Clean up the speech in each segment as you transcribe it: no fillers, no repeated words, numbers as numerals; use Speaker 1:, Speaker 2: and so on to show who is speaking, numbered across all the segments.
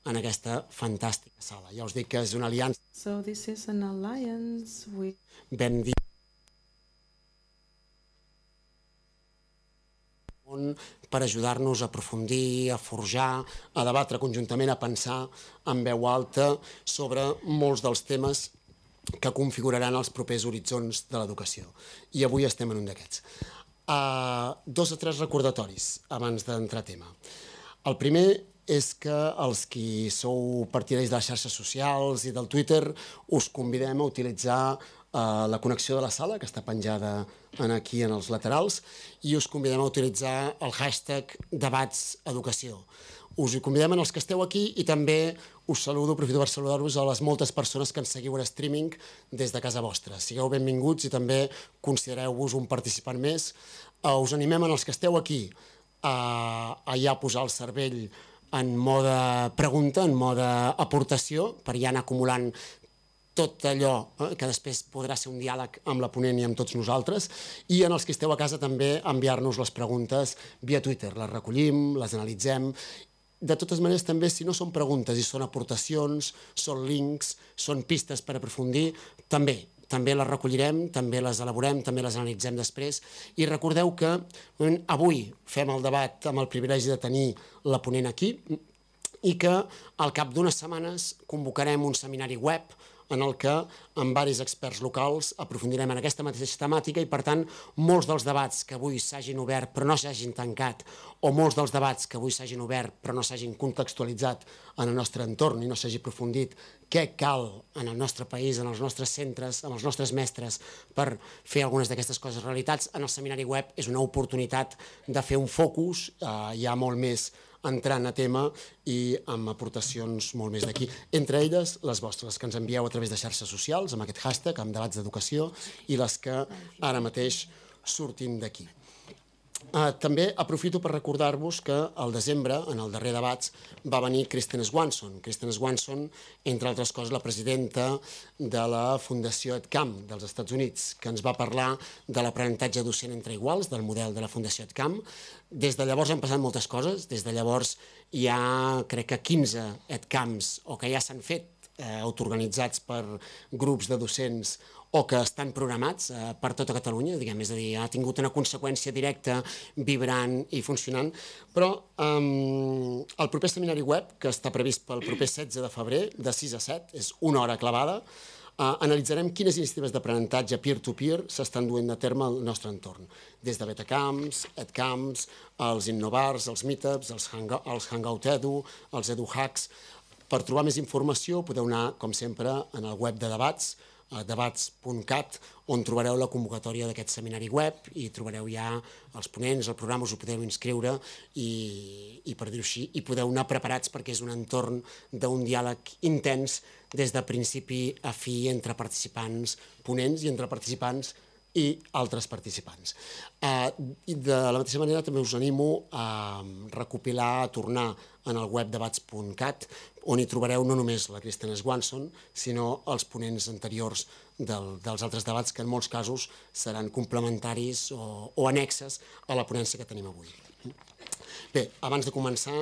Speaker 1: en aquesta fantàstica sala. Ja us dic que és una aliança.
Speaker 2: So this is an alliance with...
Speaker 1: Vam dir per ajudar-nos a aprofundir, a forjar, a debatre conjuntament, a pensar en veu alta sobre molts dels temes que configuraran els propers horitzons de l'educació. I avui estem en un d'aquests. 2 o 3 recordatoris abans d'entrar a tema. El primer és que els qui sou partidaris de les xarxes socials i del Twitter us convidem a utilitzar la connexió de la sala, que està penjada aquí en els laterals, i us convidem a utilitzar el hashtag debatseducació. Us hi convidem en els que esteu aquí i també us saludo, aprofito per saludar-vos a les moltes persones que ens seguiu en streaming des de casa vostra. Sigueu benvinguts i també considereu-vos un participant més. Us animem en els que esteu aquí a ja posar el cervell en mode pregunta, en mode aportació, per ja anar acumulant tot allò que després podrà ser un diàleg amb la ponent i amb tots nosaltres, i en els que esteu a casa també enviar-nos les preguntes via Twitter. Les recollim, les analitzem. De totes maneres, també, si no són preguntes i són aportacions, són links, són pistes per aprofundir, també les recollirem, també les elaborem, també les analitzem després. I recordeu que avui fem el debat amb el privilegi de tenir la ponent aquí i que al cap d'unes setmanes convocarem un seminari web en el que amb diversos experts locals aprofundirem en aquesta mateixa temàtica i, per tant, molts dels debats que avui s'hagin obert però no s'hagin tancat, o molts dels debats que avui s'hagin obert però no s'hagin contextualitzat en el nostre entorn i no s'hagi aprofundit què cal en el nostre país, en els nostres centres, amb els nostres mestres per fer algunes d'aquestes coses realitats, en el seminari web és una oportunitat de fer un focus ja molt més entrant a tema i amb aportacions molt més d'aquí. Entre elles, les vostres, que ens envieu a través de xarxes socials, amb aquest hashtag, amb debats d'educació, i les que ara mateix surtin d'aquí. També aprofito per recordar-vos que al desembre, en el darrer debats, va venir Kristen Swanson. Kristen Swanson, entre altres coses, la presidenta de la Fundació EdCamp dels Estats Units, que ens va parlar de l'aprenentatge docent entre iguals, del model de la Fundació EdCamp. Des de llavors han passat moltes coses. Des de llavors hi ha, crec que 15 EdCamps, o que ja s'han fet, autoorganitzats per grups de docents o que estan programats per tota Catalunya, diguem, és a dir, ha tingut una conseqüència directa, vibrant i funcionant, però el proper seminari web, que està previst pel proper 16 de febrer, de 6 a 7, és una hora clavada, analitzarem quines iniciatives d'aprenentatge peer-to-peer s'estan duent a terme al nostre entorn, des de betacamps, edcamps, els innovars, els meetups, els hangout edu, els eduhacks. Per trobar més informació podeu anar, com sempre, en el web de debats, debats.cat, on trobareu la convocatòria d'aquest seminari web i trobareu ja els ponents, el programa, us ho podeu inscriure i per dir-ho així, i podeu anar preparats perquè és un entorn d'un diàleg intens des de principi a fi entre participants ponents i entre participants i altres participants. I de la mateixa manera també us animo a recopilar, a tornar en el web debats.cat, on hi trobareu no només la Kristen Swanson, sinó els ponents anteriors dels altres debats, que en molts casos seran complementaris o annexes a la ponència que tenim avui. Bé, abans de començar,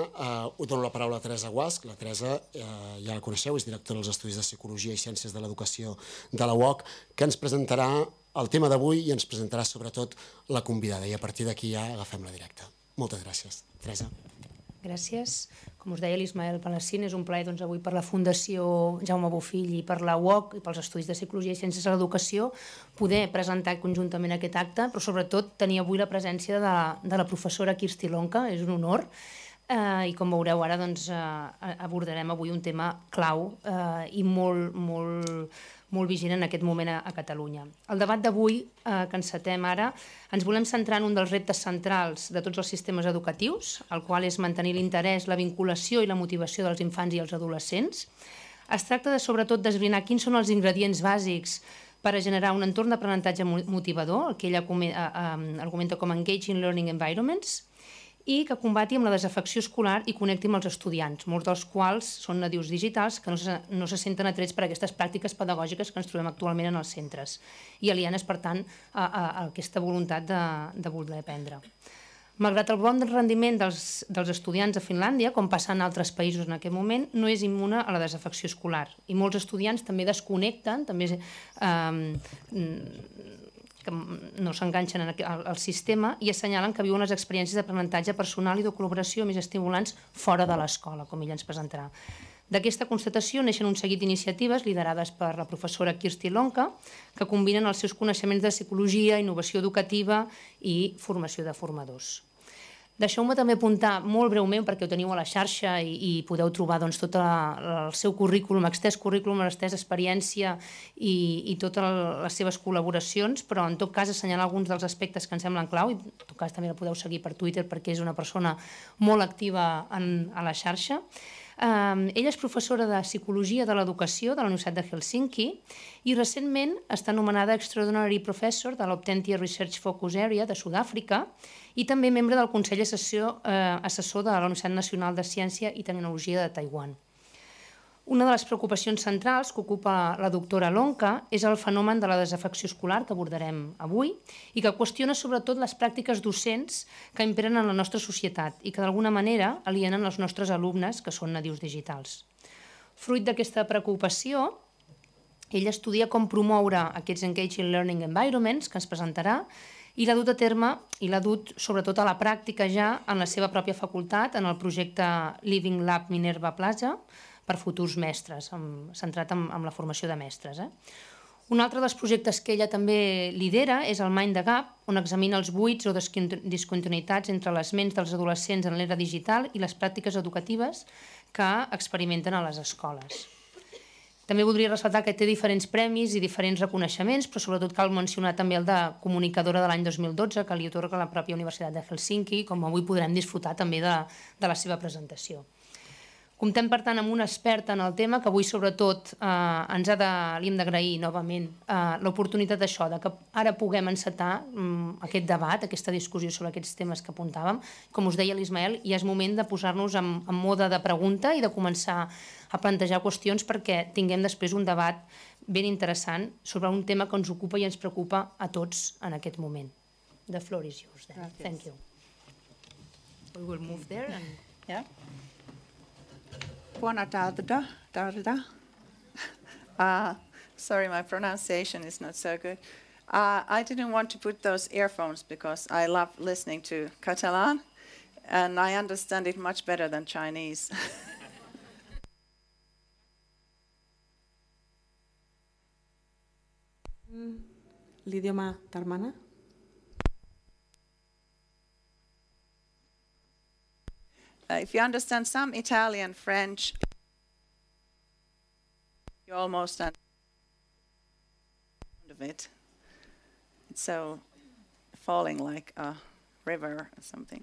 Speaker 1: dono la paraula a Teresa Guasch. La Teresa, ja la coneixeu, és directora dels Estudis de Psicologia i Ciències de l'Educació de la UOC, que ens presentarà el tema d'avui i ens presentarà sobretot la convidada, i a partir d'aquí ja agafem la directa. Moltes gràcies. Teresa.
Speaker 3: Gràcies. Com us deia l'Ismael Palacín, és un plaer avui per la Fundació Jaume Bofill i per la UOC i pels Estudis de Psicologia i Ciències de l'Educació poder presentar conjuntament aquest acte, però sobretot tenir avui la presència de la professora Kirsti Lonca, és un honor, i com veureu ara abordarem avui un tema clau i molt vigent en aquest moment a Catalunya. El debat d'avui, que encetem ara, ens volem centrar en un dels reptes centrals de tots els sistemes educatius, el qual és mantenir l'interès, la vinculació i la motivació dels infants i els adolescents. Es tracta de, sobretot, d'esbrinar quins són els ingredients bàsics per a generar un entorn d'aprenentatge motivador, el que ella argumenta com Engaging Learning Environments, i que combati amb la desafecció escolar i connecti amb els estudiants, molts dels quals són nadius digitals que no se senten atrets per aquestes pràctiques pedagògiques que ens trobem actualment en els centres i alienes, per tant, a aquesta voluntat de voler aprendre. Malgrat el bon rendiment dels estudiants a Finlàndia, com passa en altres països en aquest moment, no és immune a la desafecció escolar. I molts estudiants també desconnecten, també que no s'enganxen al sistema i assenyalen que viuen les experiències d'aprenentatge personal i de col·laboració més estimulants fora de l'escola, com ella ens presentarà. D'aquesta constatació neixen un seguit d'iniciatives liderades per la professora Kirsti Lonka que combinen els seus coneixements de psicologia, innovació educativa i formació de formadors. Deixeu-me també apuntar molt breument, perquè ho teniu a la xarxa i podeu trobar tot el seu currículum, extès currículum, l'extès experiència i totes les seves col·laboracions, però en tot cas assenyalar alguns dels aspectes que ens semblen clau, i en tot cas també la podeu seguir per Twitter perquè és una persona molt activa a la xarxa. Ella és professora de Psicologia de l'Educació de la Universitat de Helsinki i recentment està nomenada Extraordinary Professor de l'Optentia Research Focus Area de Sud-àfrica i també membre del Consell Assessor de la Universitat Nacional de Ciència i Tecnologia de Taiwan. Una de les preocupacions centrals que ocupa la doctora Lonka és el fenomen de la desafecció escolar que abordarem avui i que qüestiona sobretot les pràctiques docents que imperen en la nostra societat i que d'alguna manera alienen els nostres alumnes que són nadius digitals. Fruit d'aquesta preocupació, ella estudia com promoure aquests engaging learning environments que ens presentarà i l'ha dut a terme i l'ha dut sobretot a la pràctica ja en la seva pròpia facultat en el projecte Living Lab Minerva Plaza, per futurs mestres, centrat en la formació de mestres. Un altre dels projectes que ella també lidera és el Mind the Gap, on examina els buits o discontinuïtats entre les ments dels adolescents en l'era digital i les pràctiques educatives que experimenten a les escoles. També voldria ressaltar que té diferents premis i diferents reconeixements, però sobretot cal mencionar també el de comunicadora de l'any 2012, que li atorga la pròpia Universitat de Helsinki, com avui podrem disfrutar també de la seva presentació. Comptem, per tant, amb una experta en el tema que avui, sobretot, li hem d'agrair novament l'oportunitat d'això, que ara puguem encetar aquest debat, aquesta discussió sobre aquests temes que apuntàvem. Com us deia l'Ismael, ja és moment de posar-nos en mode de pregunta i de començar a plantejar qüestions perquè tinguem després un debat ben interessant sobre un tema que ens ocupa i ens preocupa a tots en aquest moment. The floor is yours, then. Thank you. We will move there and...
Speaker 4: Yeah. Buona tarda. Sorry, my pronunciation is not so good. I didn't want to put those earphones because I love listening to Catalan, and I understand it much better than Chinese.
Speaker 2: L'idioma tarmana?
Speaker 4: If you understand some Italian, French, you almost understand of it. It's so falling like a river or something.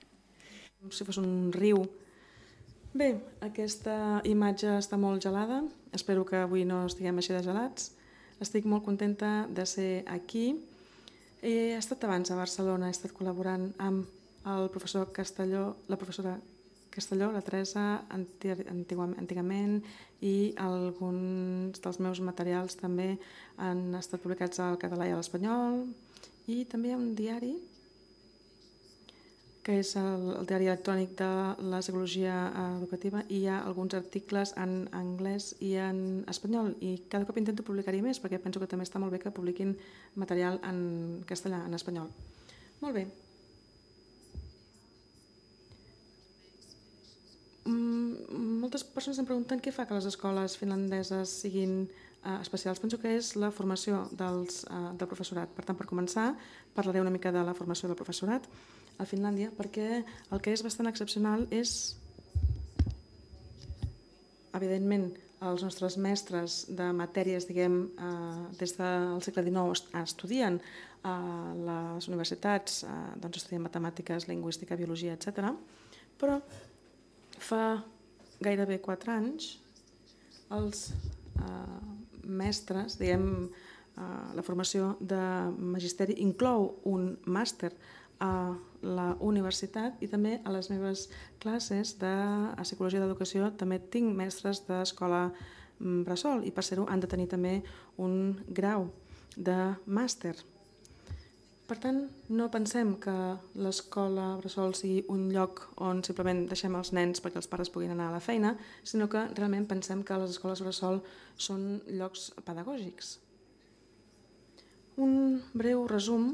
Speaker 2: Com si fos un riu. Bé, aquesta imatge està molt gelada. Espero que avui no estiguem així de gelats. Estic molt contenta de ser aquí. He estat abans a Barcelona, he estat col·laborant amb el professor Castelló, la professora Castelló, la Teresa, antigament, i alguns dels meus materials també han estat publicats al català i a l'espanyol, i també hi ha un diari, que és el diari electrònic de la psicologia educativa, i hi ha alguns articles en anglès i en espanyol, i cada cop intento publicar-hi més, perquè penso que també està molt bé que publiquin material en castellà, en espanyol. Molt bé. Moltes persones em pregunten què fa que les escoles finlandeses siguin especials. Penso que és la formació del professorat. Per tant, per començar, parlaré una mica de la formació del professorat a Finlàndia, perquè el que és bastant excepcional és, evidentment, els nostres mestres de matèries, diguem, des del segle XIX estudien a les universitats, estudien matemàtiques, lingüística, biologia, etc. Però fa gairebé 4 anys els mestres, diguem, la formació de magisteri inclou un màster a la universitat, i també a les meves classes de psicologia d'educació també tinc mestres d'escola bressol, i per ser-ho han de tenir també un grau de màster. Per tant, no pensem que l'escola bressol sigui un lloc on simplement deixem els nens perquè els pares puguin anar a la feina, sinó que realment pensem que les escoles bressol són llocs pedagògics. Un breu resum,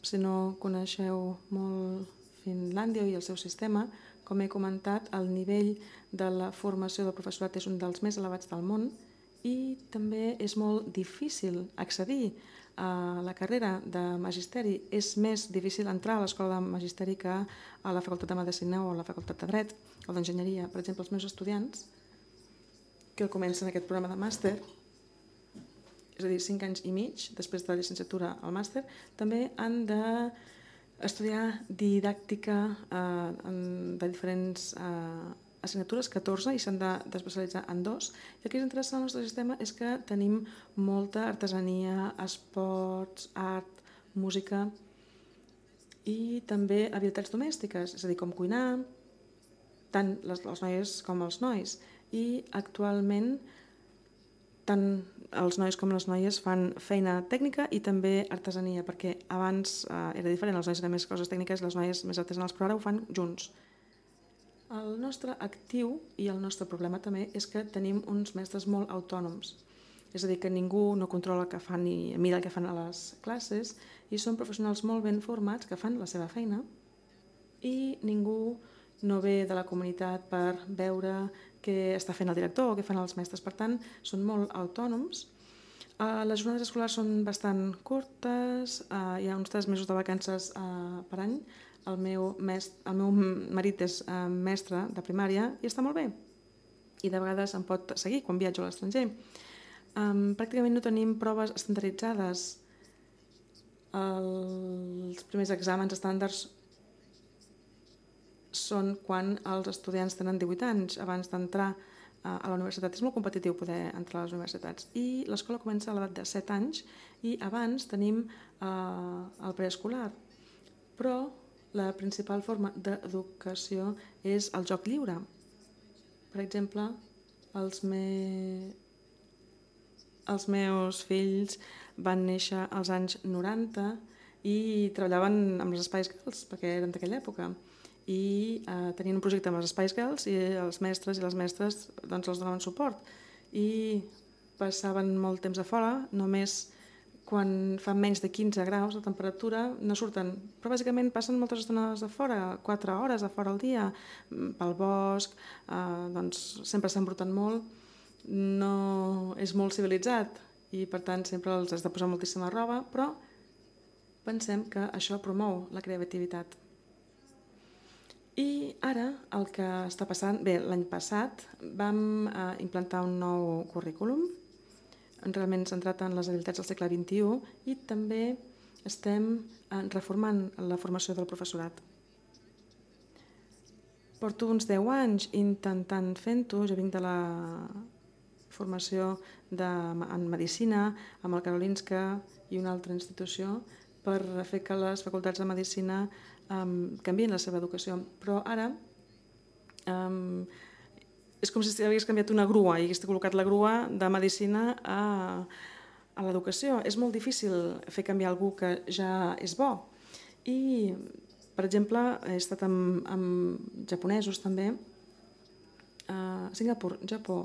Speaker 2: si no coneixeu molt Finlàndia i el seu sistema, com he comentat, el nivell de la formació del professorat és un dels més elevats del món i també és molt difícil accedir a la carrera de magisteri. És més difícil entrar a l'escola de magisteri que a la facultat de Medicina o a la facultat de Dret o d'Enginyeria. Per exemple, els meus estudiants que comencen aquest programa de màster, és a dir, 5 anys i mig, després de la llicenciatura al màster, també han d'estudiar didàctica de diferents assignatures, 14, i s'han d'especialitzar en 2. I el que és interessant al nostre sistema és que tenim molta artesania, esports, art, música i també habilitats domèstiques, és a dir, com cuinar, tant les noies com els nois. I actualment tant els nois com les noies fan feina tècnica i també artesania, perquè abans era diferent, els nois eren més coses tècniques, les noies més artesanals, però ara ho fan junts. El nostre actiu i el nostre problema també és que tenim uns mestres molt autònoms, és a dir, que ningú no controla el que fan i mira el que fan a les classes, i són professionals molt ben formats que fan la seva feina i ningú no ve de la comunitat per veure què està fent el director o què fan els mestres. Per tant, són molt autònoms. Les jornades escolars són bastant curtes, hi ha uns 3 mesos de vacances per any. El meu marit és mestre de primària i està molt bé. I de vegades em pot seguir quan viatjo a l'estranger. Pràcticament no tenim proves estandarditzades. Els primers exàmens estàndards són quan els estudiants tenen 18 anys abans d'entrar a la universitat. És molt competitiu poder entrar a les universitats. I l'escola comença a l'edat de 7 anys i abans tenim el preescolar. Però la principal forma d'educació és el joc lliure. Per exemple, els meus fills van néixer als anys 90 i treballaven amb els Spice Girls, perquè eren d'aquella època. I tenien un projecte amb els Spice Girls i els mestres i les mestres doncs, els donaven suport. I passaven molt temps a fora, només quan fa menys de 15 graus de temperatura no surten, però bàsicament passen moltes estones a fora, 4 hores a fora al dia, pel bosc, doncs sempre s'embruten molt, no és molt civilitzat i per tant sempre els has de posar moltíssima roba, però pensem que això promou la creativitat. I ara el que està passant, bé, l'any passat vam implantar un nou currículum realment centrat en les habilitats del segle XXI i també estem reformant la formació del professorat. Porto uns 10 anys intentant fent-ho, jo vinc de la formació en Medicina, amb el Karolinska i una altra institució, per fer que les facultats de Medicina canvien la seva educació. Però ara és com si hagués canviat una grua i hagués col·locat la grua de Medicina a l'educació. És molt difícil fer canviar algú que ja és bo. I, per exemple, he estat amb japonesos també. Singapur, Japó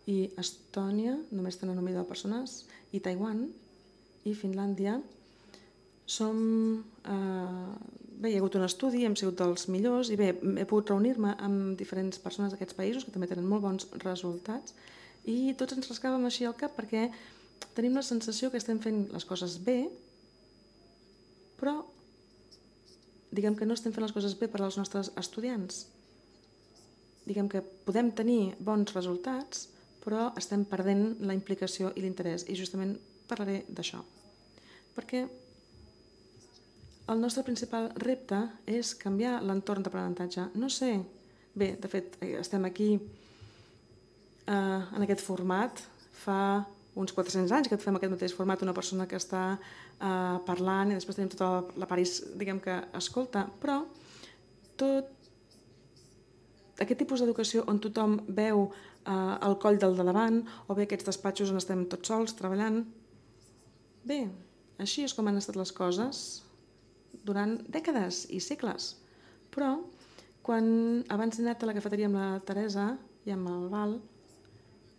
Speaker 2: i Estònia, només tenen 1.000 persones, i Taiwan i Finlàndia. Bé, hi ha hagut un estudi, hem sigut dels millors i bé, he pogut reunir-me amb diferents persones d'aquests països que també tenen molt bons resultats i tots ens rascàvem així al cap perquè tenim la sensació que estem fent les coses bé, però diguem que no estem fent les coses bé per als nostres estudiants. Diguem que podem tenir bons resultats, però estem perdent la implicació i l'interès i justament parlaré d'això. Perquè el nostre principal repte és canviar l'entorn d'aprenentatge. No sé, bé, de fet, estem aquí en aquest format. Fa uns 400 anys que fem aquest mateix format, una persona que està parlant i després tenim tota la part, diguem que escolta, però tot aquest tipus d'educació on tothom veu el coll del de davant o bé aquests despatxos on estem tots sols treballant, bé, així és com han estat les coses durant dècades i segles. Però, quan abans he anat a la cafeteria amb la Teresa i amb el Val,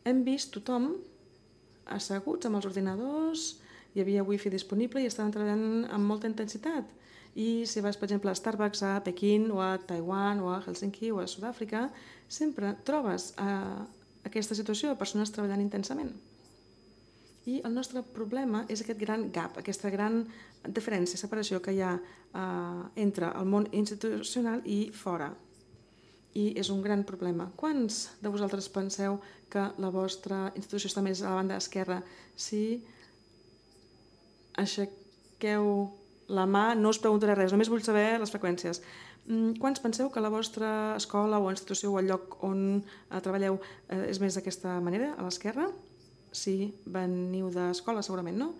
Speaker 2: hem vist tothom asseguts amb els ordinadors, hi havia wifi disponible i estaven treballant amb molta intensitat. I si vas, per exemple, a Starbucks a Pequín o a Taiwan o a Helsinki o a Sud-àfrica, sempre trobes aquesta situació de persones treballant intensament. I el nostre problema és aquest gran gap, aquesta gran diferència, separació que hi ha entre el món institucional i fora. I és un gran problema. Quants de vosaltres penseu que la vostra institució està més a la banda esquerra? Si aixequeu la mà, no us preguntaré res, només vull saber les freqüències. Quants penseu que la vostra escola o institució o el lloc on treballeu és més d'aquesta manera, a l'esquerra? Si veniu d'escola, segurament, no?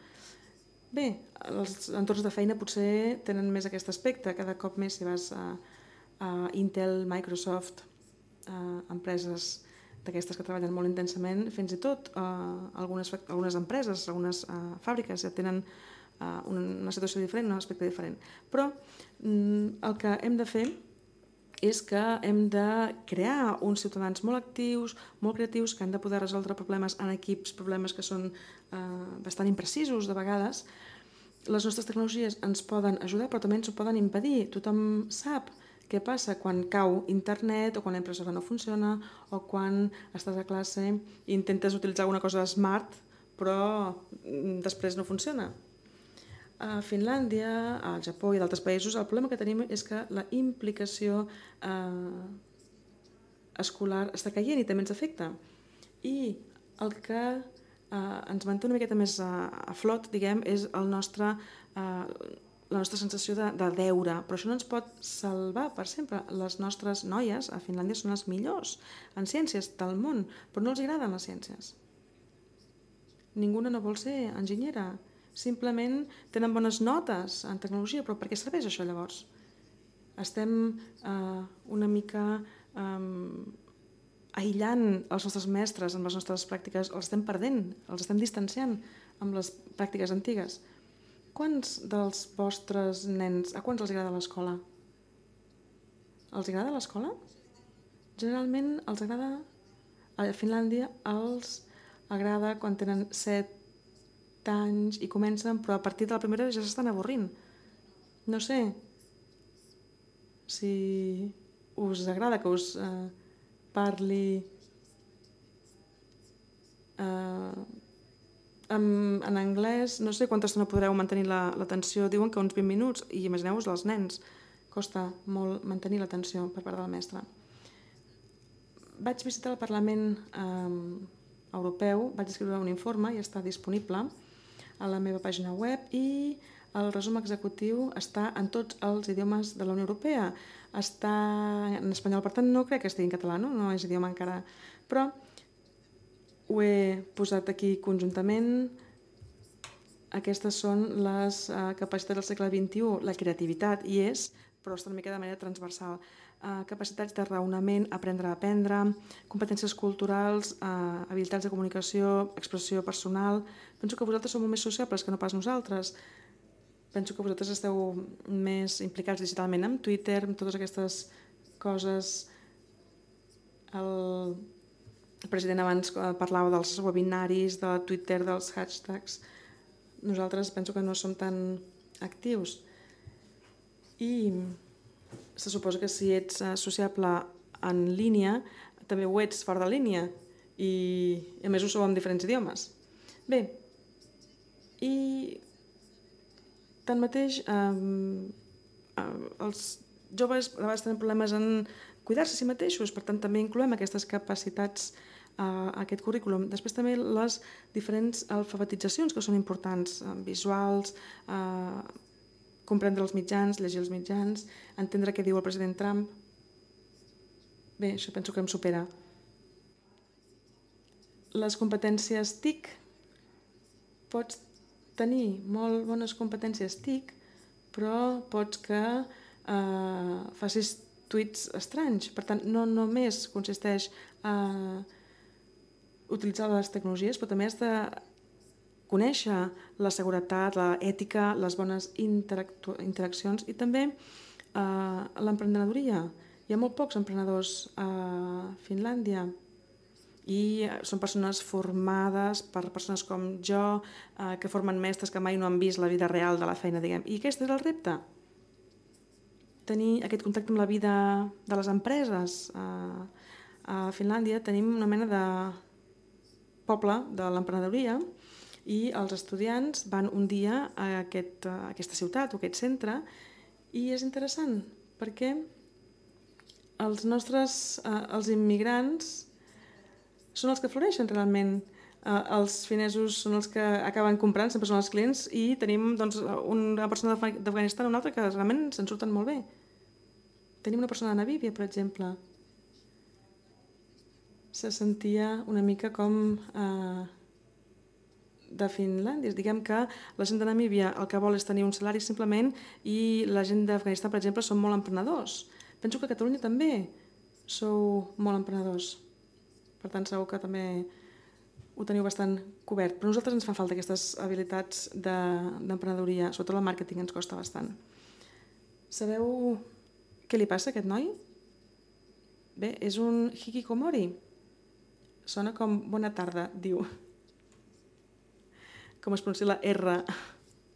Speaker 2: Bé, els entorns de feina potser tenen més aquest aspecte, cada cop més si vas a Intel, Microsoft, empreses d'aquestes que treballen molt intensament, fins i tot algunes empreses, algunes fàbriques ja tenen una situació diferent, un aspecte diferent. Però el que hem de fer és que hem de crear uns ciutadans molt actius, molt creatius, que han de poder resoldre problemes en equips, problemes que són bastant imprecisos de vegades. Les nostres tecnologies ens poden ajudar, però també ens ho poden impedir. Tothom sap què passa quan cau internet o quan la impressora no funciona o quan estàs a classe i intentes utilitzar alguna cosa smart però després no funciona. A Finlàndia, al Japó i d'altres països, el problema que tenim és que la implicació escolar està caient i també ens afecta. I el que ens manté una miqueta més a flot, diguem, és la nostra sensació de deure, però això no ens pot salvar per sempre. Les nostres noies a Finlàndia són les millors en ciències del món, però no els agraden les ciències. Ninguna no vol ser enginyera. Simplement tenen bones notes en tecnologia, però per què serveix això llavors? Estem una mica aïllant els nostres mestres amb les nostres pràctiques, els estem perdent, els estem distanciant amb les pràctiques antigues. Quants dels vostres nens, a quants els agrada l'escola? Els agrada l'escola? Generalment els agrada, a Finlàndia els agrada quan tenen 7 anys i comencen, però a partir de la primera ja s'estan avorrint. No sé si us agrada que us parli en anglès, no sé quanta estona podreu mantenir l'atenció, diuen que uns 20 minuts, i imagineu-vos els nens, costa molt mantenir l'atenció per part del mestre. Vaig visitar el Parlament Europeu, vaig escriure un informe i està disponible a la meva pàgina web i el resum executiu està en tots els idiomes de la Unió Europea. Està en espanyol, per tant no crec que estigui en català, no és idioma encara, però ho he posat aquí conjuntament. Aquestes són les capacitats del segle XXI. La creativitat hi és, però està una mica de manera transversal. Capacitats de raonament, aprendre a aprendre, competències culturals, habilitats de comunicació, expressió personal. Penso que vosaltres sou molt més sociables que no pas nosaltres. Penso que vosaltres esteu més implicats digitalment amb Twitter, amb totes aquestes coses. El president abans parlava dels webinaris, de Twitter, dels hashtags. Nosaltres penso que no som tan actius. I se suposa que si ets sociable en línia, també ho ets fora de línia, i a més ho sou en diferents idiomes. Bé, i tanmateix els joves a vegades tenen problemes en cuidar-se a si mateixos, per tant també incloem aquestes capacitats a aquest currículum. Després també les diferents alfabetitzacions que són importants, visuals, comprendre els mitjans, llegir els mitjans, entendre què diu el president Trump. Bé, això penso que em supera. Les competències TIC, pots tenir molt bones competències TIC, però pots que facis tuits estranys. Per tant, no només consisteix a utilitzar les tecnologies, però també has de conèixer la seguretat, l'ètica, les bones interaccions i també l'emprenedoria. Hi ha molt pocs emprenedors a Finlàndia i són persones formades per persones com jo, que formen mestres que mai no han vist la vida real de la feina, diguem. I aquest és el repte. Tenir aquest contacte amb la vida de les empreses. A Finlàndia tenim una mena de poble de l'emprenedoria i els estudiants van un dia a aquesta ciutat o aquest centre i és interessant perquè els immigrants són els que floreixen realment. Els finesos són els que acaben comprant, sempre són els clients, i tenim una persona d'Afganistan i una altra que realment se'n surten molt bé. Tenim una persona de Namíbia, per exemple. Se sentia una mica com de Finlàndia. Diguem que la gent de Namíbia el que vol és tenir un salari simplement i la gent d'Afganistan, per exemple, són molt emprenedors. Penso que a Catalunya també sou molt emprenedors. Per tant, segur que també ho teniu bastant cobert. Però a nosaltres ens fan falta aquestes habilitats d'emprenedoria, sobretot el màrqueting ens costa bastant. Sabeu què li passa a aquest noi? Bé, és un hikikomori. Sona com bona tarda, diu. Com es pronuncia la R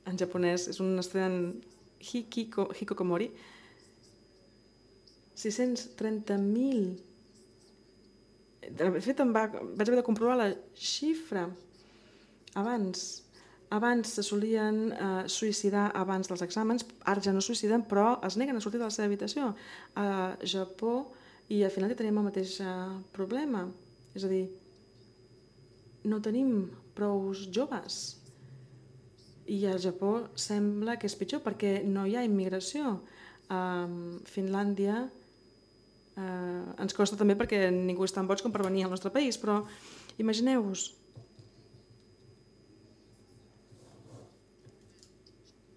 Speaker 2: en japonès. És un estudiant hikikomori. 630.000. De fet, vaig haver de comprovar la xifra. Abans se solien suïcidar abans dels exàmens, ara ja no suïciden, però es neguen a sortir de la seva habitació. A Japó i a Finlàndia tenim el mateix problema. És a dir, no tenim prou joves. I al Japó sembla que és pitjor perquè no hi ha immigració. A Finlàndia ens costa també perquè ningú és tan boig com per venir al nostre país, però imagineu-vos,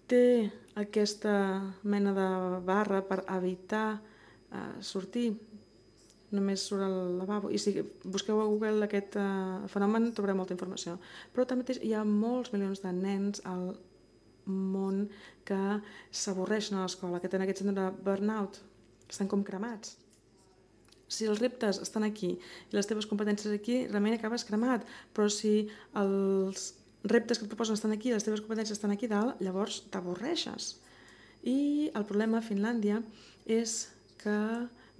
Speaker 2: té aquesta mena de barra per evitar sortir, només surt al lavabo, i si busqueu a Google aquest fenomen trobareu molta informació. Però també hi ha molts milions de nens al món que s'avorreixen a l'escola, que tenen aquest síndrome de burnout, que estan com cremats. Si els reptes estan aquí i les teves competències aquí, realment acabes cremat, però si els reptes que et proposen estan aquí i les teves competències estan aquí dalt, llavors t'avorreixes. I el problema a Finlàndia és que,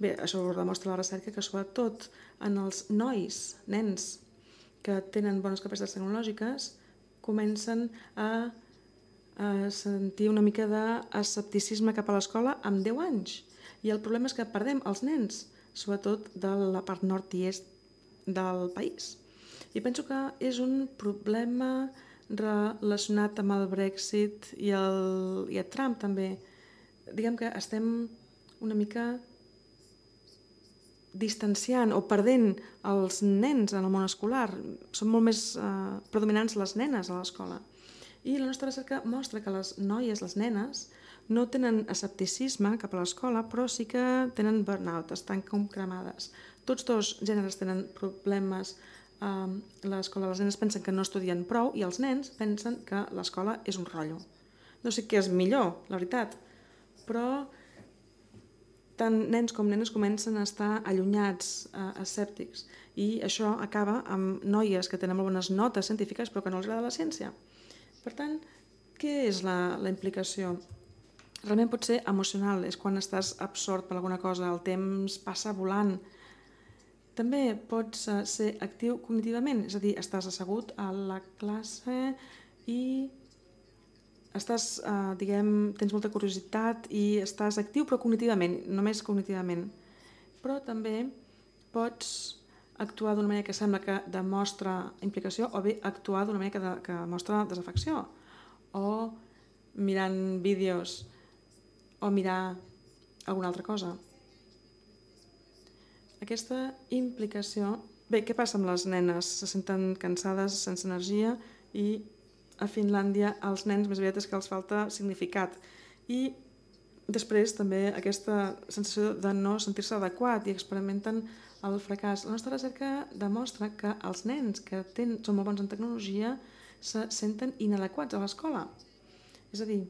Speaker 2: bé, això ho demostra la recerca, que sobretot en els nens que tenen bones capacitats tecnològiques comencen a sentir una mica d'escepticisme cap a l'escola amb 10 anys. I el problema és que perdem els nens, sobretot de la part nord i est del país. I penso que és un problema relacionat amb el Brexit i a Trump també. Diguem que estem una mica distanciant o perdent els nens en el món escolar. Són molt més predominants les nenes a l'escola. I la nostra recerca mostra que les noies, les nenes, no tenen escepticisme cap a l'escola, però sí que tenen burnout, estan com cremades. Tots dos gèneres tenen problemes a l'escola. Les nenes pensen que no estudien prou i els nens pensen que l'escola és un rotllo. No sé què és millor, la veritat, però tant nens com nenes comencen a estar allunyats, escèptics, i això acaba amb noies que tenen molt bones notes científiques però que no els agrada la ciència. Per tant, què és la implicació? Realment pot ser emocional, és quan estàs absort per alguna cosa, el temps passa volant. També pots ser actiu cognitivament, és a dir, estàs assegut a la classe i tens molta curiositat i estàs actiu però cognitivament, només cognitivament. Però també pots actuar d'una manera que sembla que demostra implicació o bé actuar d'una manera que mostra desafecció o mirant vídeos o mirar alguna altra cosa. Aquesta implicació... Bé, què passa amb les nenes? Se senten cansades, sense energia, i a Finlàndia els nens més aviat és que els falta significat. I després també aquesta sensació de no sentir-se adequat i experimenten el fracàs. La nostra recerca demostra que els nens que són molt bons en tecnologia se senten inadequats a l'escola. És a dir,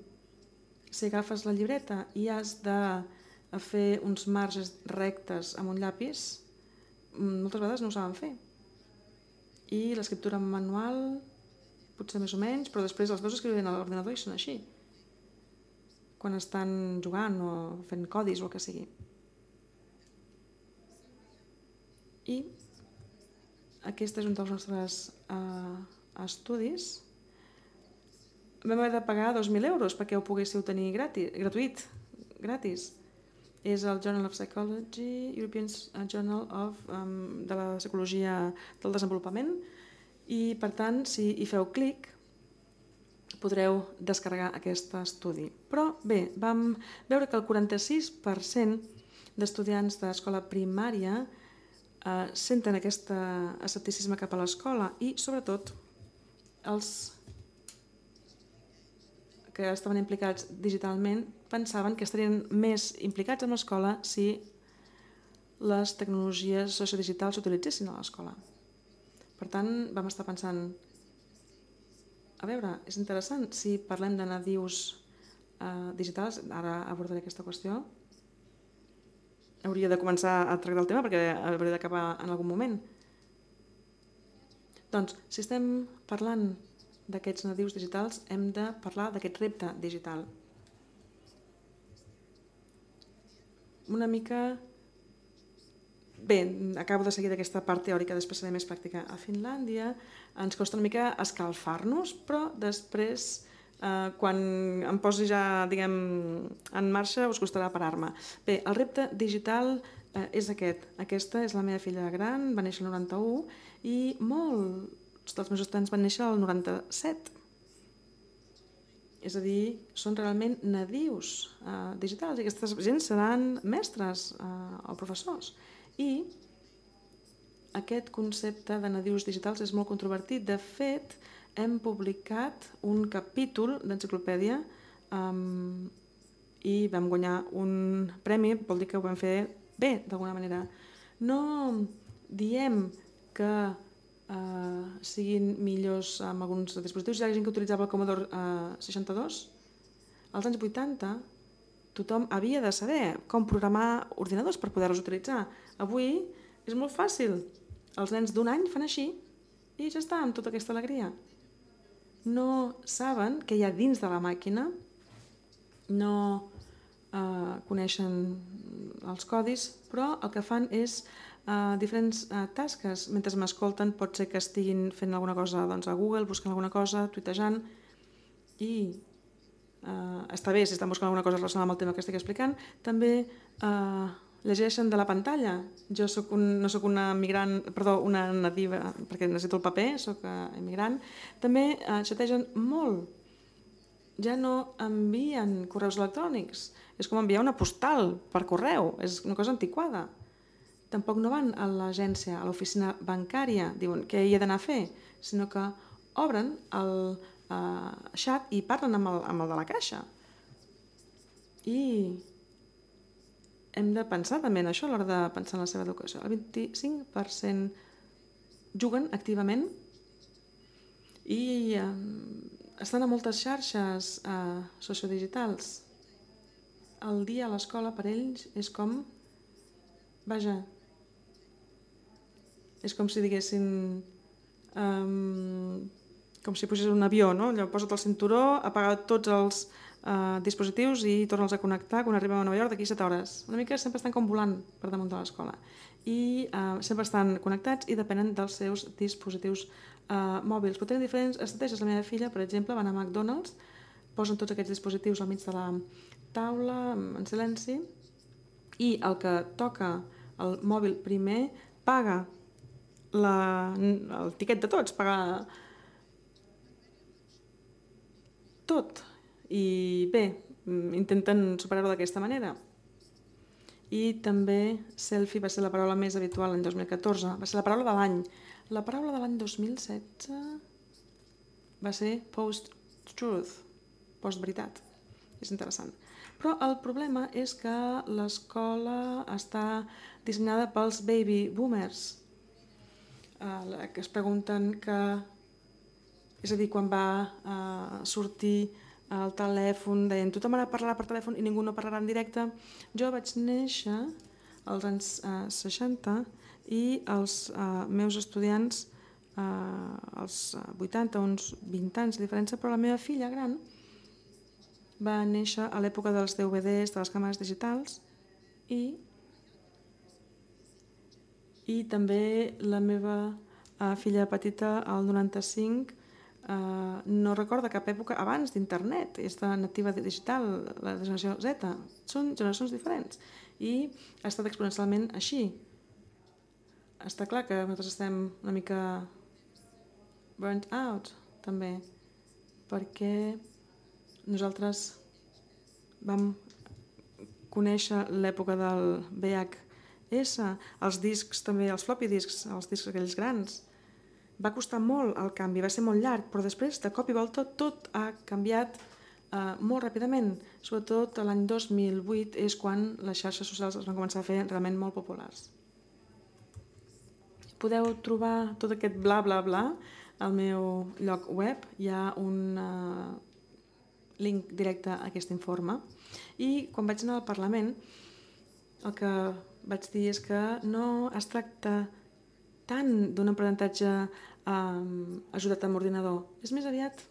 Speaker 2: si agafes la llibreta i has de fer uns marges rectes amb un llapis, moltes vegades no ho saben fer. I l'escriptura manual, potser més o menys, però després els veus escrivint a l'ordinador i són així, quan estan jugant o fent codis o el que sigui. I aquest és un dels nostres estudis. Vam haver de pagar 2.000 euros perquè ho poguéssiu tenir gratuït, gratis. És el Journal of Psychology, European Journal de la Psicologia del Desenvolupament, i per tant, si hi feu clic, podreu descarregar aquest estudi. Però bé, vam veure que el 46% d'estudiants d'escola primària senten aquest escepticisme cap a l'escola i, sobretot, els que estaven implicats digitalment pensaven que estarien més implicats en l'escola si les tecnologies sociodigitals s'utilitzessin a l'escola. Per tant, vam estar pensant, a veure, és interessant, si parlem de nadius digitals, ara abordaré aquesta qüestió, hauria de començar a tractar el tema perquè hauria d'acabar en algun moment. Doncs, si estem parlant d'aquests nadius digitals, hem de parlar d'aquest repte digital. Una mica... Bé, acabo de seguir d'aquesta part teòrica, després seré més pràctica. A Finlàndia ens costa una mica escalfar-nos, però després, quan em posi ja, diguem, en marxa, us costarà parar-me. Bé, el repte digital és aquest. Aquesta és la meva filla gran, va néixer el 91, i molts dels meus estudiants van néixer el 97. És a dir, són realment nadius digitals, i aquestes gent seran mestres o professors. I aquest concepte de nadius digitals és molt controvertit. De fet, hem publicat un capítol d'enciclopèdia i vam guanyar un premi, vol dir que ho vam fer bé, d'alguna manera. No diem que siguin millors amb alguns dispositius. Hi ha gent que utilitzava el Commodore 62. Als anys 80 tothom havia de saber com programar ordinadors per poder-los utilitzar. Avui és molt fàcil. Els nens d'un any fan així i ja està, amb tota aquesta alegria. No saben què hi ha dins de la màquina, no coneixen els codis, però el que fan és diferents tasques. Mentre m'escolten pot ser que estiguin fent alguna cosa a Google, buscant alguna cosa, tuitejant, i està bé si estan buscant alguna cosa relacionada amb el tema que estic explicant. També llegeixen de la pantalla. Jo no soc una nativa, perquè necessito el paper, soc immigrant. També xategen molt. Ja no envien correus electrònics. És com enviar una postal per correu. És una cosa antiquada. Tampoc no van a l'agència, a l'oficina bancària, diuen què hi he d'anar a fer, sinó que obren el xat i parlen amb el de la caixa. I hem de pensar també en això a l'hora de pensar en la seva educació. El 25% juguen activament i estan a moltes xarxes sociodigitals. El dia a l'escola per ells és com... Vaja, és com si diguessin... com si posés un avió, no? Posa't el cinturó, apaga tots els dispositius i torna'ls a connectar quan arribem a Nova York d'aquí 7 hores. Una mica sempre estan com volant per damunt de l'escola. I sempre estan connectats i depenen dels seus dispositius mòbils. Però tenen diferents estratègies. La meva filla, per exemple, va anar a McDonald's, posen tots aquests dispositius al mig de la taula, en silenci, i el que toca el mòbil primer paga el tiquet de tots, paga tot. I bé, intenten superar-ho d'aquesta manera. I també selfie va ser la paraula més habitual l'any 2014, va ser la paraula de l'any. La paraula de l'any 2016 va ser post-truth, post-veritat. És interessant. Però el problema és que l'escola està dissenyada pels baby boomers, que es pregunten que És a dir, quan va sortir el telèfon, deien tothom ara parlarà per telèfon i ningú no parlarà en directe. Jo vaig néixer als anys 60 i els meus estudiants als 80, uns 20 anys de diferència, però la meva filla gran va néixer a l'època dels DVDs, de les càmeres digitals, i també la meva filla petita, al 95, no recorda cap època abans d'internet, és de nativa digital, la generació Z. Són generacions diferents i ha estat exponencialment així. Està clar que nosaltres estem una mica burnt out, també, perquè nosaltres vam conèixer l'època del VHS, els discs també, els floppy discs, els discs aquells grans. Va costar molt el canvi, va ser molt llarg, però després, de cop i volta, tot ha canviat molt ràpidament. Sobretot l'any 2008 és quan les xarxes socials es van començar a fer realment molt populars. Podeu trobar tot aquest bla bla bla al meu lloc web. Hi ha un link directe a aquest informe. I quan vaig anar al Parlament, el que vaig dir és que no es tracta tant d'un aprenentatge ajudat amb ordinador. És més aviat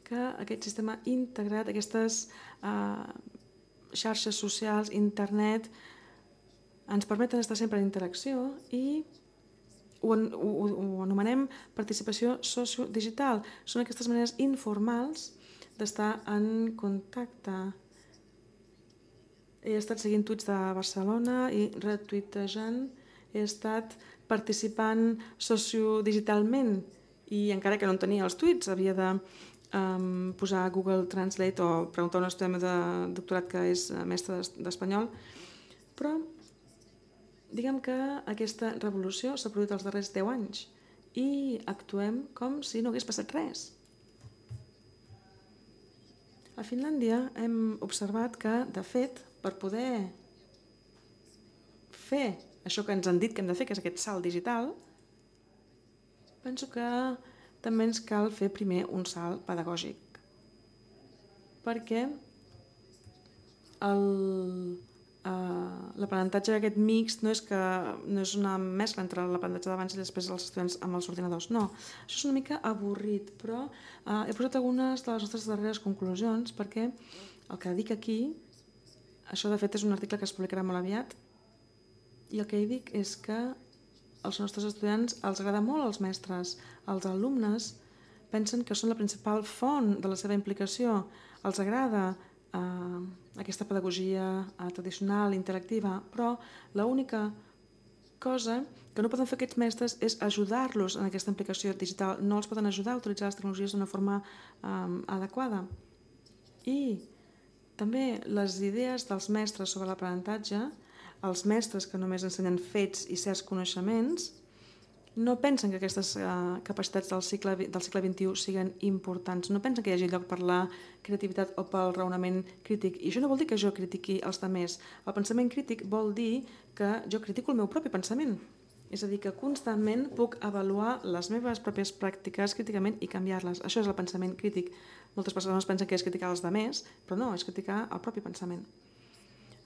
Speaker 2: que aquest sistema integrat, aquestes xarxes socials, internet, ens permeten estar sempre en interacció i ho anomenem participació sociodigital. Són aquestes maneres informals d'estar en contacte. He estat seguint tuits de Barcelona i retuitejant, he estat participant sociodigitalment i encara que no en tenia els tuits havia de posar a Google Translate o preguntar a un estudiant de doctorat que és mestre d'espanyol, però diguem que aquesta revolució s'ha produït els darrers 10 anys i actuem com si no hagués passat res. A Finlàndia hem observat que, de fet, per poder fer això que ens han dit que hem de fer, que és aquest salt digital, penso que també ens cal fer primer un salt pedagògic. Perquè l'aprenentatge aquest mixt no és una mescla entre l'aprenentatge d'abans i després els estudiants amb els ordinadors. No, això és una mica avorrit, però he posat algunes de les nostres darreres conclusions perquè el que dic aquí, això de fet és un article que es publicarà molt aviat, i el que hi dic és que als nostres estudiants els agrada molt els mestres. Els alumnes pensen que són la principal font de la seva implicació. Els agrada aquesta pedagogia tradicional, interactiva, però l'única cosa que no poden fer aquests mestres és ajudar-los en aquesta implicació digital. No els poden ajudar a utilitzar les tecnologies d'una forma adequada. I també les idees dels mestres sobre l'aprenentatge, els mestres que només ensenyen fets i certs coneixements, no pensen que aquestes capacitats del segle XXI siguin importants, no pensen que hi hagi lloc per la creativitat o pel raonament crític. I això no vol dir que jo critiqui els altres. El pensament crític vol dir que jo critico el meu propi pensament. És a dir, que constantment puc avaluar les meves pròpies pràctiques críticament i canviar-les. Això és el pensament crític. Moltes persones pensen que és criticar els altres, però no, és criticar el propi pensament.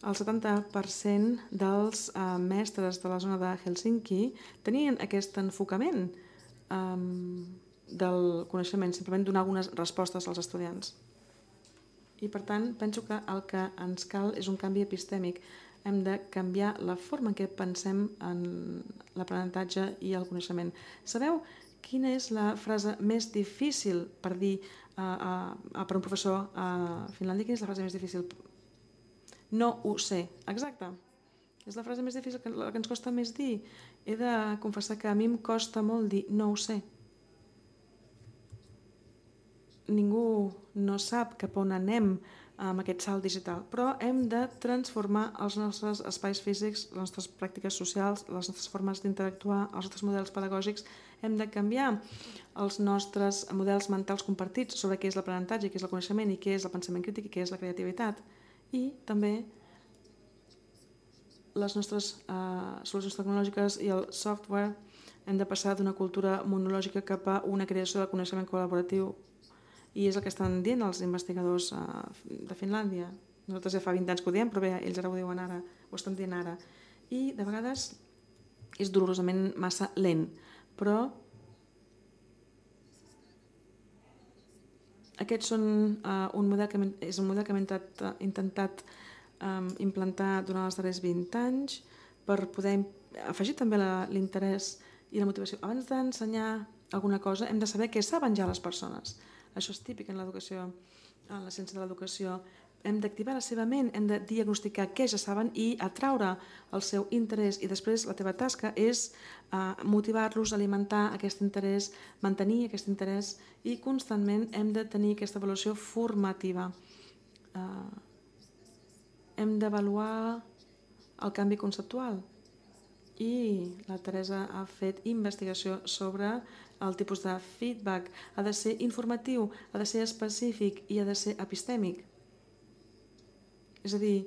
Speaker 2: El 70% dels mestres de la zona de Helsinki tenien aquest enfocament del coneixement, simplement donar algunes respostes als estudiants. I per tant, penso que el que ens cal és un canvi epistèmic. Hem de canviar la forma en què pensem en l'aprenentatge i el coneixement. Sabeu quina és la frase més difícil per dir per un professor a Finlàndia? Quina és la frase més difícil? No ho sé. Exacte. És la frase més difícil, la que ens costa més dir. He de confessar que a mi em costa molt dir no ho sé. Ningú no sap cap on anem amb aquest salt digital, però hem de transformar els nostres espais físics, les nostres pràctiques socials, les nostres formes d'interactuar, els nostres models pedagògics. Hem de canviar els nostres models mentals compartits sobre què és l'aprenentatge, què és el coneixement i què és el pensament crític i què és la creativitat. I també les nostres solucions tecnològiques i el software Hem de passar d'una cultura monològica cap a una creació de coneixement col·laboratiu, i és el que estan dient els investigadors de Finlàndia. Nosaltres ja fa 20 anys que ho diem, però bé, ells ara ho diuen ara, ho estan dient ara. I de vegades és dolorosament massa lent, però aquests són un model que hem intentat implantar durant els darrers 20 anys per poder afegir també l'interès i la motivació. Abans d'ensenyar alguna cosa hem de saber què saben ja les persones. Això és típic en l'educació, en la ciència de l'educació. Hem d'activar la seva ment, hem de diagnosticar què ja saben i atraure el seu interès, i després la teva tasca és motivar-los, alimentar aquest interès, mantenir aquest interès, i constantment hem de tenir aquesta avaluació formativa. Hem d'avaluar el canvi conceptual, i la Teresa ha fet investigació sobre el tipus de feedback. Ha de ser informatiu, ha de ser específic i ha de ser epistèmic. És a dir,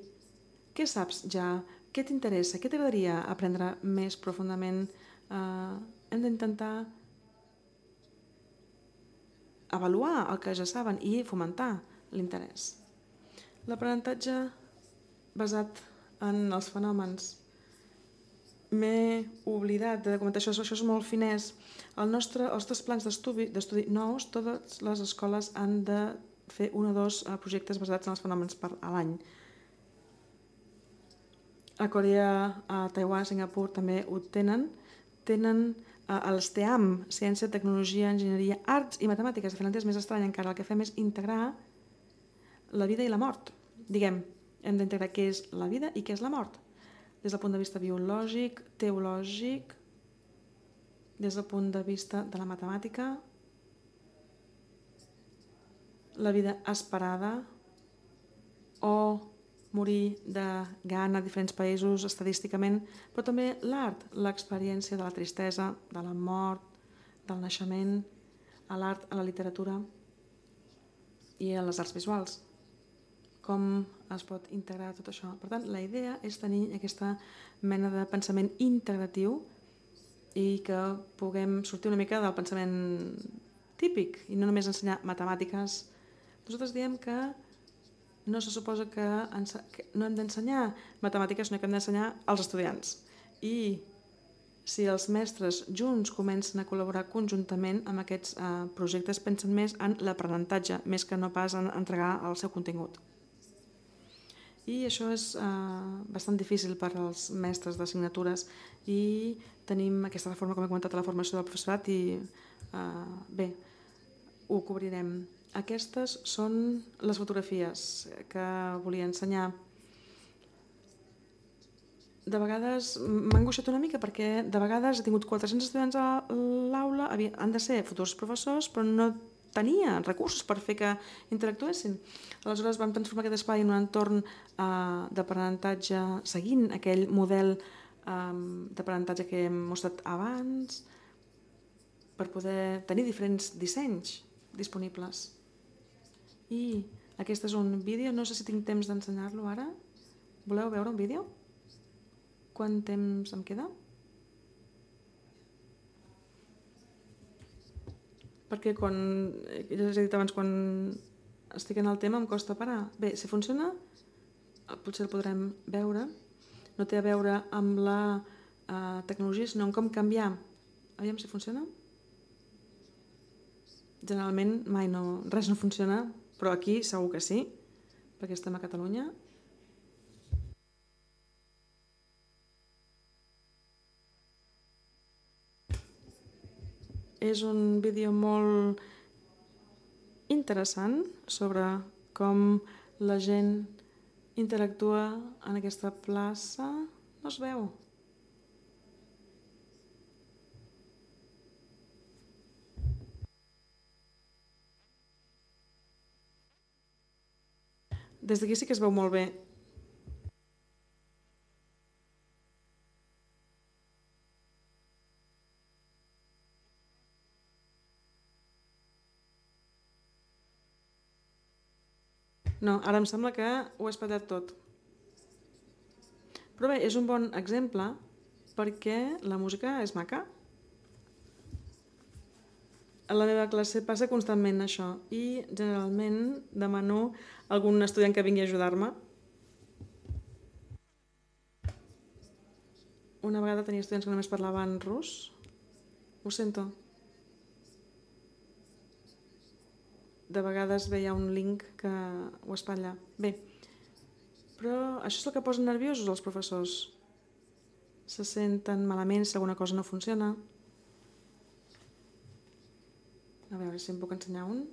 Speaker 2: què saps ja? Què t'interessa? Què t'agradaria aprendre més profundament? Hem d'intentar avaluar el que ja saben i fomentar l'interès. L'aprenentatge basat en els fenòmens. M'he oblidat de comentar això és molt finès. Els nostres plans d'estudi nous, totes les escoles han de fer 1 o 2 projectes basats en els fenòmens a l'any. A Corea, a Taiwan, a Singapur també ho tenen. Tenen els TEAM, Ciència, Tecnologia, Enginyeria, Arts i Matemàtiques. A Finlàndia és més estrany encara. El que fem és integrar la vida i la mort. Diguem, hem d'integrar què és la vida i què és la mort. Des del punt de vista biològic, teològic, des del punt de vista de la matemàtica, la vida esperada o morir de gana a diferents països estadísticament, però també l'art, l'experiència de la tristesa, de la mort, del naixement, a l'art, a la literatura i a les arts visuals. Com es pot integrar tot això? Per tant, la idea és tenir aquesta mena de pensament integratiu i que puguem sortir una mica del pensament típic i no només ensenyar matemàtiques. Nosaltres diem que no se suposa que no hem d'ensenyar matemàtiques, sinó que hem d'ensenyar als estudiants. I si els mestres junts comencen a col·laborar conjuntament amb aquests projectes, pensen més en l'aprenentatge, més que no pas en entregar el seu contingut. I això és bastant difícil per als mestres d'assignatures i tenim aquesta reforma, com he comentat, a la formació del professorat i bé, ho cobrirem. Aquestes són les fotografies que volia ensenyar. De vegades m'ha angoixat una mica perquè de vegades he tingut 400 estudiants a l'aula, han de ser futurs professors, però no tenia recursos per fer que interactuessin. Aleshores vam transformar aquest espai en un entorn d'aprenentatge seguint aquell model d'aprenentatge que hem mostrat abans per poder tenir diferents dissenys disponibles. I aquest és un vídeo, no sé si tinc temps d'ensenyar-lo ara. Voleu veure un vídeo? Quant temps em queda? Perquè quan, ja us he dit abans, quan estic en el tema em costa parar. Bé, si funciona, potser el podrem veure. No té a veure amb la tecnologia, sinó en com canviar. Aviam si funciona. Generalment mai res no funciona, però aquí segur que sí, perquè estem a Catalunya. És un vídeo molt interessant sobre com la gent interactua en aquesta plaça. No es veu? Des d'aquí sí que es veu molt bé. No, ara em sembla que ho he espatllat tot. Però bé, és un bon exemple perquè la música és maca a la meva classe passa constantment això i generalment demano a algun estudiant que vingui a ajudar-me. Una vegada tenia estudiants que només parlaven rus. Ho sento. De vegades veia un link que ho espatlla. Bé, però això és el que posa nerviosos els professors. Se senten malament si alguna cosa no funciona. A veure si em puc ensenyar un.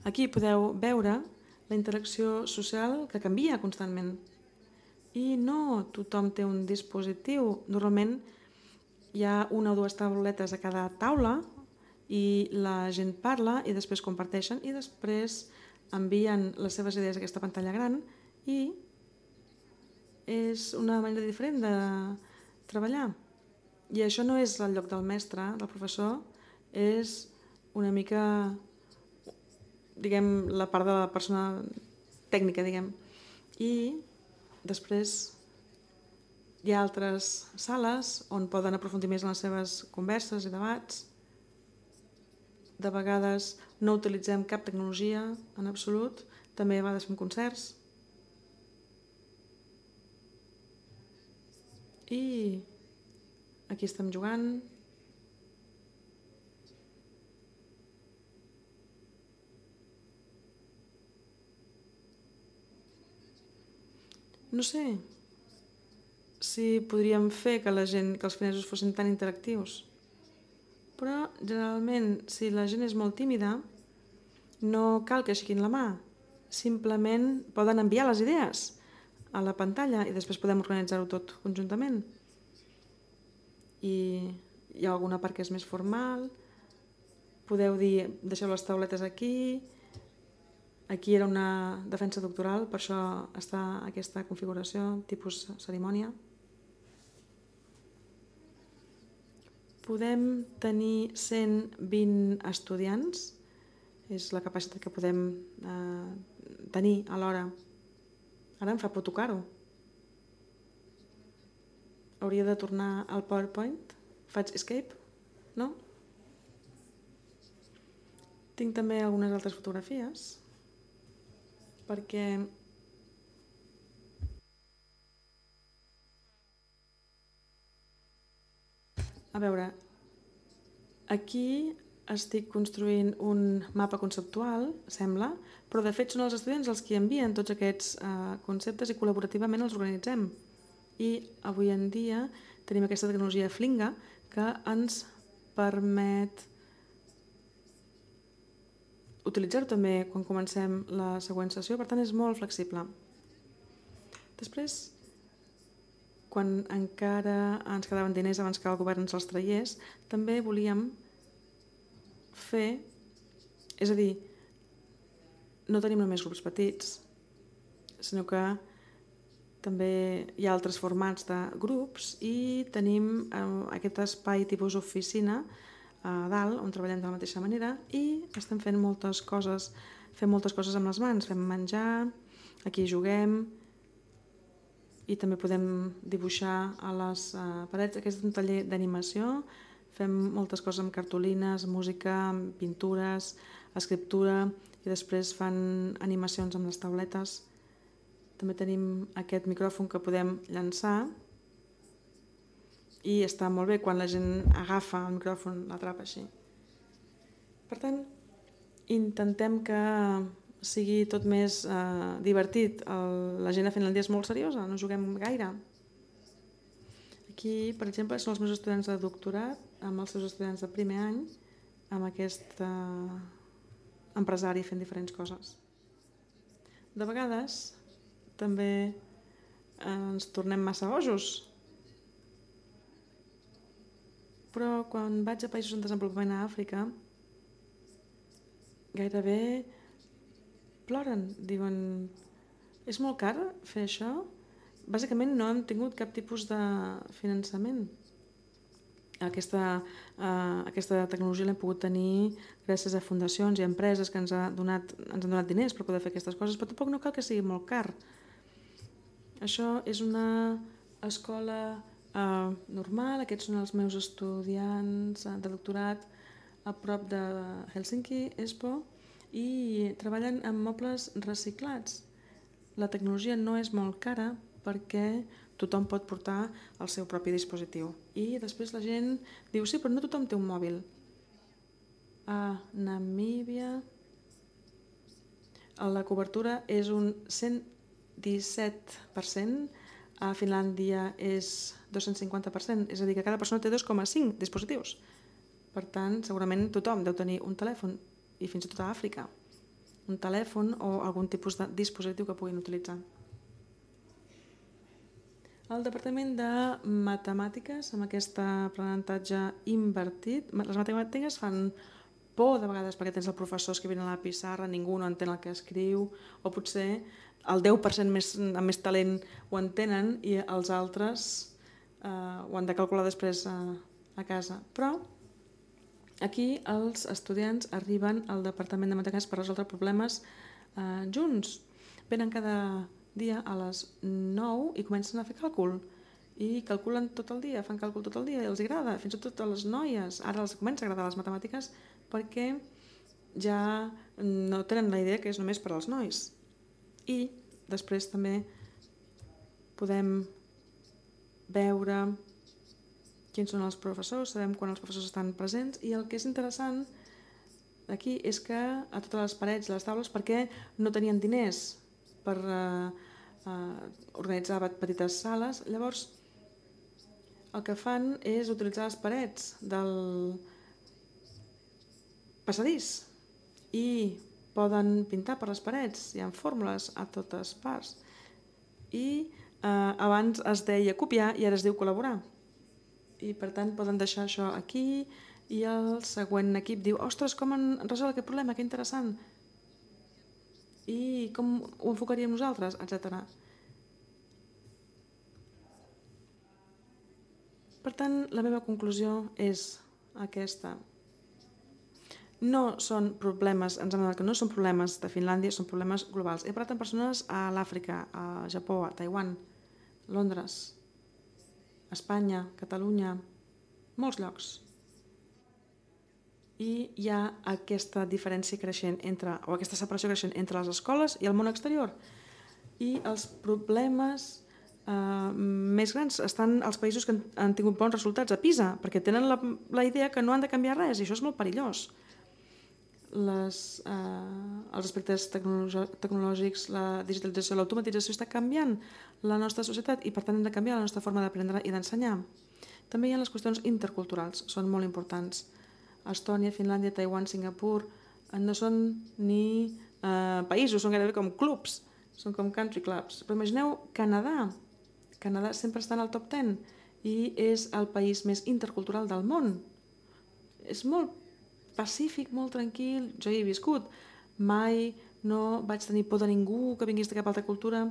Speaker 2: Aquí podeu veure la interacció social que canvia constantment. I no tothom té un dispositiu. Normalment hi ha una o dues tauletes a cada taula i la gent parla i després comparteixen i després envien les seves idees a aquesta pantalla gran i és una manera diferent de treballar. I això no és el lloc del mestre, del professor, és una mica, diguem, la part de la persona tècnica, diguem. I després hi ha altres sales on poden aprofundir més en les seves converses i debats. De vegades no utilitzem cap tecnologia en absolut, també a vegades fem concerts. I aquí estem jugant. No sé si podríem fer que els finesos fossin tan interactius, però generalment si la gent és molt tímida no cal que aixequin la mà, simplement poden enviar les idees a la pantalla i després podem organitzar-ho tot conjuntament. I hi ha alguna part que és més formal, podeu dir deixeu les tauletes aquí. Aquí era una defensa doctoral, per això està aquesta configuració, tipus cerimònia. Podem tenir 120 estudiants, és la capacitat que podem tenir alhora. Ara em fa por tocar-ho. Hauria de tornar al PowerPoint. Faig escape? No? Tinc també algunes altres fotografies perquè a veure, aquí estic construint un mapa conceptual, sembla, però de fet són els estudiants els que envien tots aquests conceptes i col·laborativament els organitzem. I avui en dia tenim aquesta tecnologia Flinga que ens permet utilitzar-ho també quan comencem la següent sessió, per tant és molt flexible. Després, quan encara ens quedaven diners abans que el govern ens els traiés, també volíem fer, és a dir, no tenim només grups petits, sinó que també hi ha altres formats de grups i tenim aquest espai tipus oficina a dalt on treballem de la mateixa manera i estem fent moltes coses, amb les mans, fem menjar, aquí juguem i també podem dibuixar a les parets. Aquest és un taller d'animació, fem moltes coses amb cartolines, música, pintures, escriptura i després fan animacions amb les tauletes. També tenim aquest micròfon que podem llançar i està molt bé quan la gent agafa el micròfon, l'atrapa així. Per tant, intentem que sigui tot més divertit. L'agenda final del dia és molt seriosa, no juguem gaire. Aquí, per exemple, són els meus estudiants de doctorat amb els seus estudiants de primer any amb aquest empresari fent diferents coses. De vegades també ens tornem massa bojos, però quan vaig a països en desenvolupament a Àfrica gairebé ploren, diuen és molt car fer això? Bàsicament no hem tingut cap tipus de finançament. Aquesta tecnologia l'hem pogut tenir gràcies a fundacions i a empreses que ens han donat diners per poder fer aquestes coses, però tampoc no cal que sigui molt car. Això és una escola normal, aquests són els meus estudiants de doctorat a prop de Helsinki, Espoo, i treballen amb mobles reciclats. La tecnologia no és molt cara perquè tothom pot portar el seu propi dispositiu. I després la gent diu, sí, però no tothom té un mòbil. A Namíbia la cobertura és un 117%, a Finlàndia és 250%, és a dir, que cada persona té 2,5 dispositius. Per tant, segurament tothom deu tenir un telèfon, i fins i tot a Àfrica, un telèfon o algun tipus de dispositiu que puguin utilitzar. El Departament de Matemàtiques, amb aquest aprenentatge invertit, les matemàtiques fan por de vegades perquè tens el professor escrivint a la pissarra, ningú no entén el que escriu, o potser el 10% amb més talent ho entenen i els altres ho han de calcular després a casa. Però aquí els estudiants arriben al Departament de Matemàtiques per resoldre problemes junts. Venen cada dia a les 9 i comencen a fer càlcul. I calculen tot el dia, fan càlcul tot el dia i els agrada, fins i tot a les noies. Ara els comença a agradar les matemàtiques perquè ja no tenen la idea que és només per als nois. I després també podem veure quins són els professors, sabem quan els professors estan presents, i el que és interessant aquí és que a totes les parets i les taules, perquè no tenien diners per organitzar petites sales, llavors el que fan és utilitzar les parets del passadís i poden pintar per les parets, hi ha fórmules a totes parts. I abans es deia copiar i ara es diu col·laborar. I per tant poden deixar això aquí i el següent equip diu, ostres, com han resolt aquest problema, que interessant. I com ho enfocaríem nosaltres, etc. Per tant, la meva conclusió és aquesta. No són problemes, ens hem adonat que no són problemes de Finlàndia, són problemes globals. He parlat amb persones a l'Àfrica, a Japó, a Taiwan, Londres, Espanya, Catalunya, molts llocs. I hi ha aquesta diferència creixent o aquesta separació creixent entre les escoles i el món exterior. I els problemes més grans estan als països que han tingut bons resultats a PISA, perquè tenen la idea que no han de canviar res, i això és molt perillós. Els aspectes tecnològics, la digitalització, l'automatització està canviant la nostra societat i per tant hem de canviar la nostra forma d'aprendre i d'ensenyar. També hi ha les qüestions interculturals, són molt importants. Estònia, Finlàndia, Taiwan, Singapur no són ni països, són gairebé com clubs, són com country clubs. Però imagineu Canadà. Canadà sempre està en el top 10 i és el país més intercultural del món. És molt pacífic, molt tranquil, jo hi he viscut. Mai no vaig tenir por de ningú que vingués de cap altra cultura.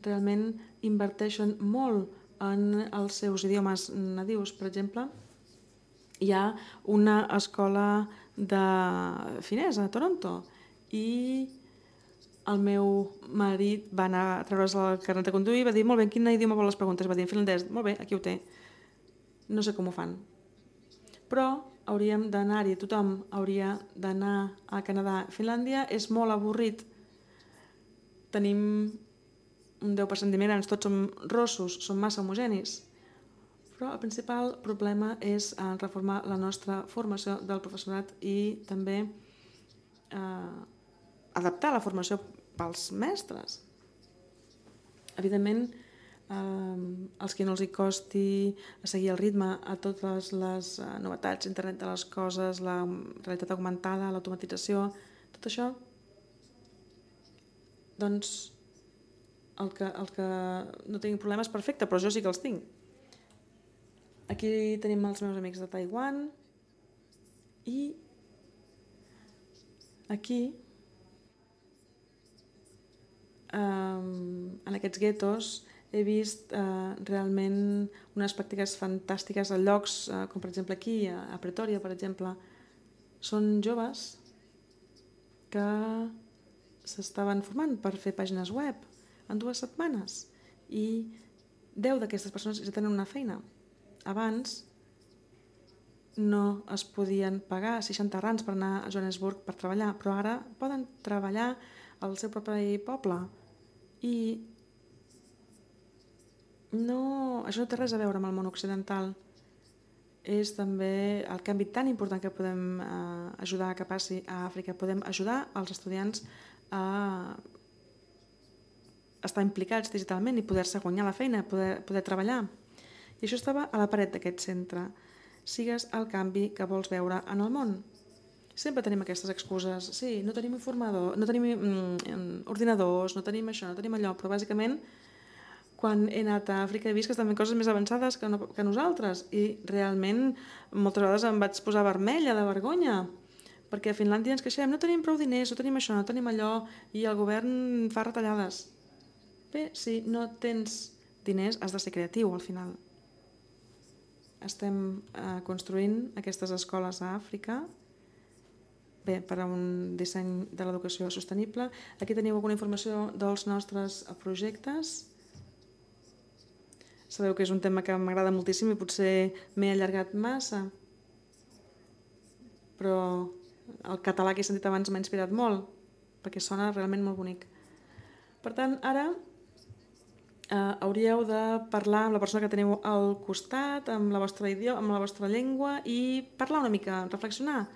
Speaker 2: Realment inverteixen molt en els seus idiomes nadius. Per exemple, hi ha una escola de finesa a Toronto i el meu marit va anar a treure's el carnet de conduir i va dir, molt bé, en quin idioma vol les preguntes? Va dir, en finlandès. Molt bé, aquí ho té. No sé com ho fan. Però hauríem d'anar-hi, tothom hauria d'anar a Canadà. Finlàndia és molt avorrit. Tenim un 10% d'immigrants, tots som rossos, som massa homogenis. Però el principal problema és reformar la nostra formació del professorat i també adaptar la formació pels mestres. Evidentment, els que no els hi costi seguir el ritme a totes les novetats, internet de les coses, la realitat augmentada, l'automatització, tot això, doncs el que no tinc problemes perfecte, però jo sí que els tinc. Aquí tenim els meus amics de Taiwan i aquí en aquests guetos he vist realment unes pràctiques fantàstiques a llocs com per exemple aquí, a Pretòria, per exemple. Són joves que s'estaven formant per fer pàgines web en 2 setmanes i 10 d'aquestes persones ja tenen una feina. Abans no es podien pagar 60 rands per anar a Johannesburg per treballar, però ara poden treballar al seu propi poble. I això no té res a veure amb el món occidental. És també el canvi tan important que podem ajudar que passi a Àfrica. Podem ajudar els estudiants a estar implicats digitalment i poder-se guanyar la feina, poder treballar. I això estava a la paret d'aquest centre. Sigues el canvi que vols veure en el món. Sempre tenim aquestes excuses. Sí, no tenim informador, no tenim ordinadors, no tenim això, no tenim allò, però bàsicament quan he anat a Àfrica he vist que estan fent coses més avançades que nosaltres i realment moltes vegades em vaig posar vermella de vergonya perquè a Finlàndia ens queixem, no tenim prou diners, no tenim això, no tenim allò i el govern fa retallades. Bé, si no tens diners has de ser creatiu al final. Estem construint aquestes escoles a Àfrica per a un disseny de l'educació sostenible. Aquí teniu alguna informació dels nostres projectes. Sabeu que és un tema que m'agrada moltíssim i potser m'he allargat massa, però el català que he sentit abans m'ha inspirat molt, perquè sona realment molt bonic. Per tant, ara hauríeu de parlar amb la persona que teniu al costat, amb la vostra idioma, amb la vostra llengua i parlar una mica, reflexionar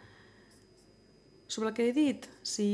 Speaker 2: sobre el que he dit. Si